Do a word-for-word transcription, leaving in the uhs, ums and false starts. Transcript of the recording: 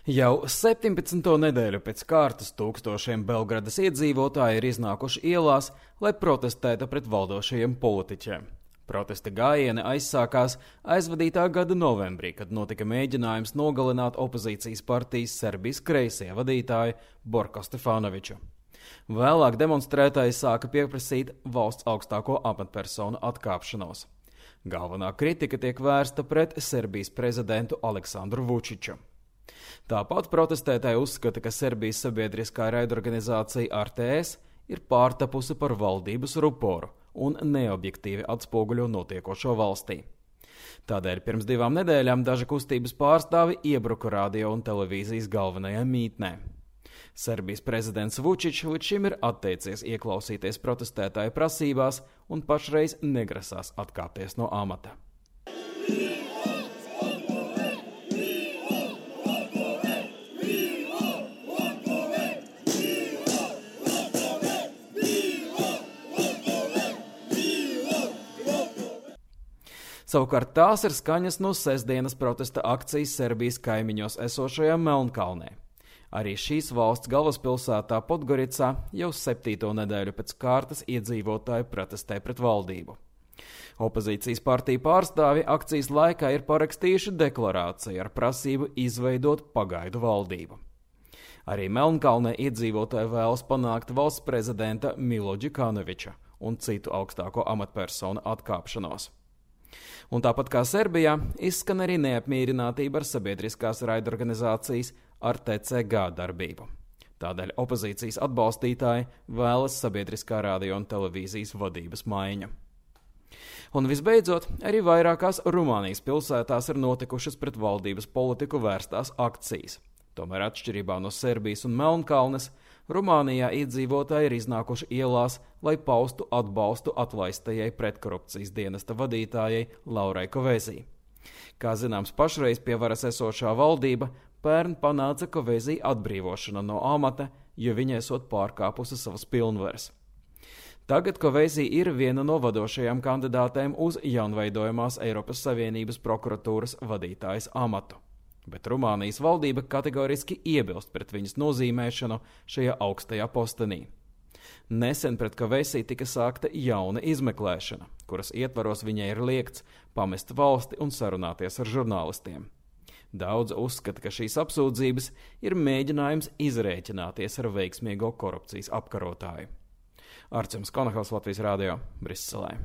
Jau septiņpadsmito nedēļu pēc kārtas tūkstošiem Belgradas iedzīvotāji ir iznākuši ielās, lai protestētu pret valdošajiem politiķiem. Protesta gājieni aizsākās aizvadītā gada novembrī, kad notika mēģinājums nogalināt opozīcijas partijas Serbijas kreisie vadītāju Borko Stefanoviču. Vēlāk demonstrētāji sāka pieprasīt valsts augstāko amatpersonu atkāpšanos. Galvenā kritika tiek vērsta pret Serbijas prezidentu Aleksandru Vučiču. Tāpat protestētāji uzskata, ka Serbijas sabiedriskā raidorganizācija R T S ir pārtapusi par valdības ruporu un neobjektīvi atspoguļo notiekošo valstī. Tādēļ pirms divām nedēļām daži kustības pārstāvi iebruka radio un televīzijas galvenajā mītnē. Serbijas prezidents Vučičs līdz šim ir atteicies ieklausīties protestētāju prasībās un pašreiz negrasās atkāpties no amata. Savukārt tās ir skaņas no sestdienas protesta akcijas Serbijas kaimiņos esošajā Melnkalnē. Arī šīs valsts galvaspilsētā Podgoricā jau septīto nedēļu pēc kārtas iedzīvotāji protestē pret valdību. Opozīcijas partiju pārstāvi akcijas laikā ir parakstījuši deklarāciju ar prasību izveidot pagaidu valdību. Arī Melnkalnē iedzīvotāji vēlas panākt valsts prezidenta Milo Đukanoviča un citu augstāko amatpersonu atkāpšanos. Un tāpat kā Serbijā, izskan arī neapmierinātība ar sabiedriskās raidorganizācijas R T C G darbību. Tādēļ opozīcijas atbalstītāji vēlas sabiedriskā radio un televīzijas vadības maiņu. Un visbeidzot, arī vairākās Rumānijas pilsētās ir notikušas pret valdības politiku vērstās akcijas. Tomēr atšķirībā no Serbijas un Melnkalnes, Rumānijā iedzīvotāji ir iznākuši ielās, lai paustu atbalstu atlaistajai pretkorupcijas dienesta vadītājai Laurai Kovezī. Kā zināms, pašreiz pie varas esošā valdība pērn panāca Kovezī atbrīvošanu no amata, jo viņa esot pārkāpusi savas pilnvaras. Tagad Kovezī ir viena no vadošajām kandidātēm uz jaunveidojamās Eiropas Savienības prokuratūras vadītājas amatu. Bet Rumānijas valdība kategoriski iebilst pret viņas nozīmēšanu šajā augstajā postenī. Nesen pret Kovezī tika sākta jauna izmeklēšana, kuras ietvaros viņai ir liegts pamest valsti un sarunāties ar žurnālistiem. Daudz uzskata, ka šīs apsūdzības ir mēģinājums izrēķināties ar veiksmīgo korupcijas apkarotāju. Arčuns Konahals, Latvijas radio, Briselē.